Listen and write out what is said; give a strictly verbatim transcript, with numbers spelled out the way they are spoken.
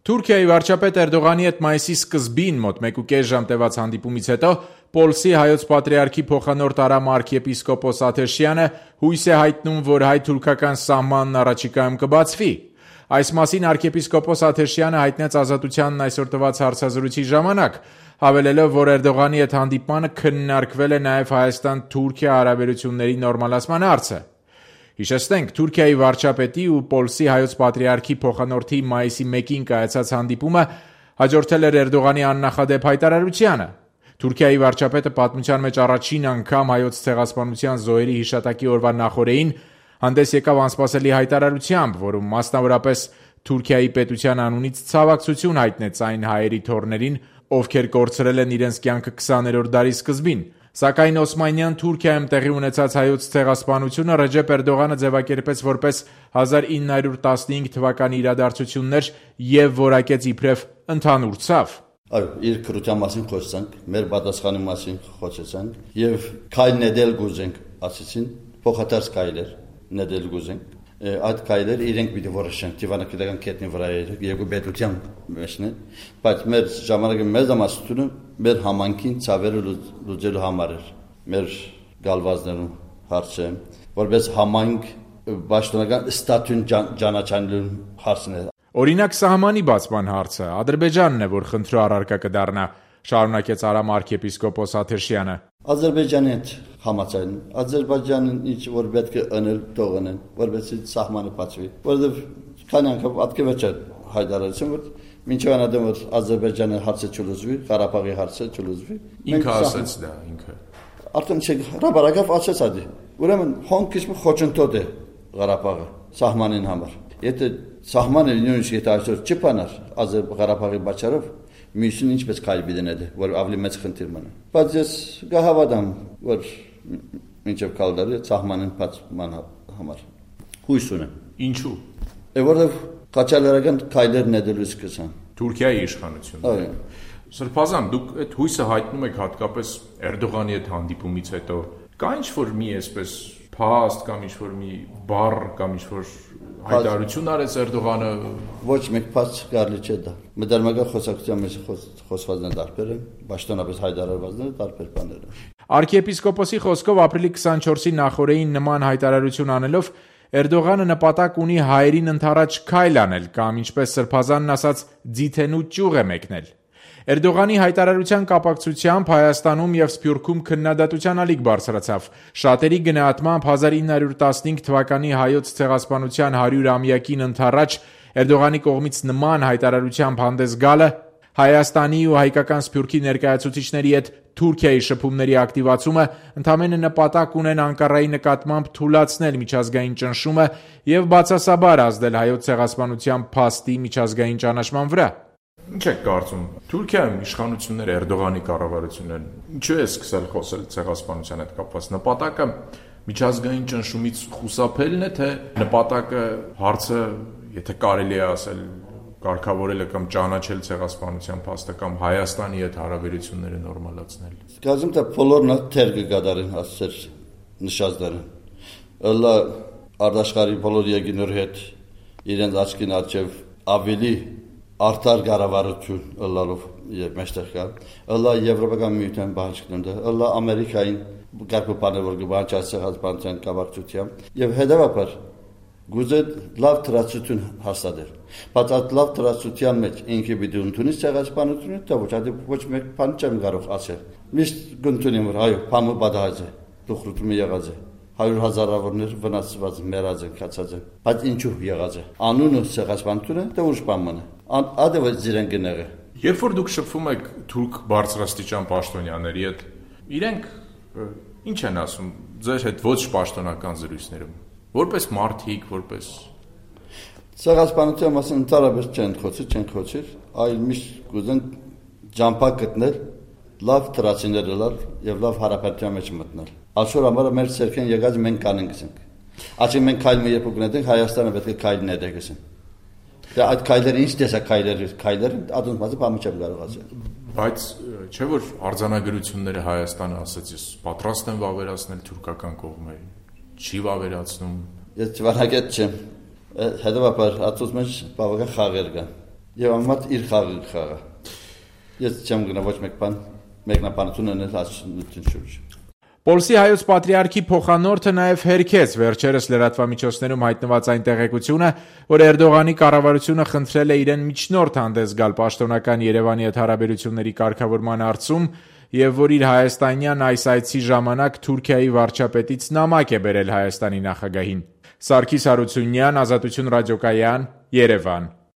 Թուրքիայի վարչապետ Էրդողանի հետ մայիսի սկզբին մոտ մեկուկես ժամ տևած հանդիպումից հետո Պոլսի հայոց պատրիարքի փոխանորդ Արամ arքեպիսկոպոս Աթեշյանը հույս է հայտնում, որ հայ-թուրքական սահմանն առաջիկայում կբացվի։ Այս մասին arքեպիսկոպոս Աթեշյանը հայտնեց Ազատությանն այսօր տված հարցազրույցի ժամանակ, հավելելով, որ Էրդողանի հետ հանդիպմանը քննարկվել է նաև Հայաստան-Թուրքիա հարաբերությունների նորմալացման հարցը։ Հիշեցնենք, Թուրքիայի վարչապետի ու Պոլսի հայոց պատրիարքի փոխանորդի մայիսի մեկին կայացած հանդիպումը հաջորդել էր Էրդողանի աննախադեպ հայտարարությանը։ Թուրքիայի վարչապետը պատմության մեջ առաջին անգամ հայոց ցեղասպանության զոհերի հիշատակի օրվա նախօրեին հանդես եկավ անսպասելի հայտարարությամբ, որում մասնավորապես Թուրքիայի պետության անունից ցավակցություն հայտնեց այն հայերի թոռներին, ովքեր կորցրել են իրենց կյանքը քսաներորդ դարի սկզբին։ Սակայն Օսմանյան Թուրքիայում տեղի ունեցած հայոց ցեղասպանությունը Ռեջեփ Էրդողանը ձևակերպեց որպես հազար ինը հարյուր տասնհինգ թվականի իրադարձություններ եւ որակեց իբրև ընդհանուր ցավ։ Այո, իր քրության մասին խոսեցանք, մեր պատասխանի մասին խոսեցանք եւ քայլ նետել գուզենք, ասեցին, փոխադարձ քայլեր նետել գուզենք։ Այդ քայլերը իրենք պիտի որոշեն դիվանագիտական կետնի վրա երկու պետության մեջն է, բայց մեր ժամանակի մեծամասնությունը մեր համանքին ցավերը լուծելու համար էր, մեր գալվազներում հարցը, որպես համանք պաշտոնական ստատուտ ճանաչելու հարցն է։ Օրինակ սահմանի բացման հարցը Ադրբեջանն է, որ խնդրու առարկա կդառնա, շարունակեց Արամ arքեպիսկոպոս Աթեշյանը։ Ադրբեջանի հետ համաձայն, Ադրբեջանն ինչ որ պետք է անել, թողնեն, որովհետեւ սահմանը բացվի, որովհետեւ քանի անգամ ատկեվեճ հայտարարություն, որ մինչև անադեմ որ Ադրբեջանը հարցը չլուծվի, Ղարաբաղի հարցը չլուծվի։ Ինքը ասաց դա, ինքը։ Արդեն չէ, հրաբարակավ ասաց ադի։ Ուրեմն հոնքից մի խոչընդոտ է Ղարաբաղը սահմանին համար։ Եթե սահմանը նույնիսկ եթե այսօր չփանար Ղարաբաղի բացառով մյուսին ինչպես քայլ բիդնել, որ ավելի մեծ խնդիր մնա։ Բայց ես կհավատամ, որ մինչև կալդարի սահմանին բացման համար հույս ունեմ։ Ինչու՞։ Որովհետև կաչալերական քայլեր նետելու սկսան։ Թուրքիայի իշխանությունը։ Այո։ Սրբազան, դուք այդ հույսը հայտնում եք հատկապես Էրդողանի հետ հանդիպումից հետո։ Կա ինչ-որ մի այսպես փաստ կամ ինչ-որ մի բառ կամ ինչ-որ հայտարարություն արեց Էրդողանը։ Ոչ մեկ փաստ կարելի չէ դա։ Մտերմական խոսակցության մեջ խոսվածները տարբեր են, պաշտոնապես հայտարարվածները տարբեր բաներ են։ Արքեպիսկոպոսի խոսքով ապրիլի քսանչորսի նախօրեին նման հայտարարություն անելով Էրդողանը նպատակ ունի հայերին ընդառաջ քայլ անել կամ ինչպես Սրբազանն ասաց, ձիթենու ճյուղ է մեկնել։ Էրդողանի հայտարարության կապակցությամբ Հայաստանում եւ Սփյուռքում քննադատության ալիք բարձրացավ։ Շատերի գնահատմամբ հազար ինը հարյուր տասնհինգ թվականի հայոց ցեղասպանության հարյուրամյակին ընդառաջ Էրդողանի կողմից նման հայտարարությամբ հանդես գալը Հայաստանի ու հայկական Սփյուռքի ներկայացուցիչների հետ Թուրքիայի շփումների ակտիվացումը ընդամենը նպատակ ունեն Անկարայի նկատմամբ թուլացնել միջազգային ճնշումը եւ բացասաբար ազդել հայոց ցեղասպանության փաստի միջազգային ճանաչման վրա։ Ինչ եք կարծում, Թուրքիայում իշխանությունները Էրդողանի կառավարությունն ինչու է սկսել խոսել ցեղասպանության հետ կապված։ Նպատակը միջազգային ճնշումից խուսափելն է, թե նպատակը հարցը, եթե կարելի է ասել, կարգավորելը կամ ճանաչել ցեղասպանության փաստը կամ Հայաստանի հետ հարաբերությունները նորմալացնել։ Գազում թե բոլորն թեր կգադարեն ասել նշածները։ Ըլլա արտաշխարհի բոլոր երկիների հետ իրենց աչքին արջև ավելի արդար կառավարություն ըլլալով եւ մեջտեղ կա ըլլա եվրոպական միության բանջկնունը ըլլա ամերիկային գարկոպանը որ գբանջացած բանջան կառավարությամբ եւ հետեւաբար գուզե լավ տրացություն հաստատել բայց այդ լավ տրացության մեջ ինքը պիտի ընդունի ցեղասպանությունը դա ոչ այդ ոչ մեկ բան չեմ կարող ասել միշտ գտնին որ այո բամը բադահաձ է դուխրուտը եղած է հարյուր հազարավորներ վնասված մեռած են կացած են բայց ինչու եղած է անունը ցեղասպանությունը դա ուժ բան մնա ադը զիրեն գները երբ որ դուք շփվում եք թուրք բարձրաստիճան պաշտոնյաների հետ իրենք ինչ են ասում ձեր հետ ոչ պաշտոնական զրույցներում որպես մարդիկ որպես ցեղասպանության մասին ընդհանրապես չեն խոսի չեն խոսի այլ միշտ կուզեն ջամփակ գտնել լավ տրացիներ լալ եւ լավ հարաբերության մեջ մտնել այսօր ամառը մեր ցերքեն եկած մենք կանենք գսենք ասի մենք քայլը երբ կգնենք Հայաստանը պետք է քայլն է դեգսեն դա այդ քայլերը ինչ տեսակ քայլեր քայլեր ադոն բացի բամը չեմ կարող ասել բայց չէ որ արձանագրությունները Հայաստանը ասաց ես պատրաստ եմ վավերացնել թուրքական կողմը չի վավերացնում ես չվարակետ չեմ հետևաբար ածուց մեջ բավական խաղեր կան եւ ամատ իր խաղը խաղա։ Ես չեմ գնա ոչ մեկ բան, մեկնաբանություն անել հասնություն շուրջ։ Պոլսի հայոց պատրիարքի փոխանորդը նաև հերքեց վերջերս լրատվամիջոցներում հայտնված այն տեղեկությունը, որ Էրդողանի կառավարությունը խնդրել է իրեն միջնորդ հանդես գալ պաշտոնական Երևանի հետ հարաբերությունների կարգավորման հարցում եւ որ իր հայաստանյան այս այցի ժամանակ Թուրքիայի վարչապետից նամակ է բերել Հայաստանի նախագահին։ Սարգիս Հարությունյան, Ազատություն ռադիոկայան, Երևան։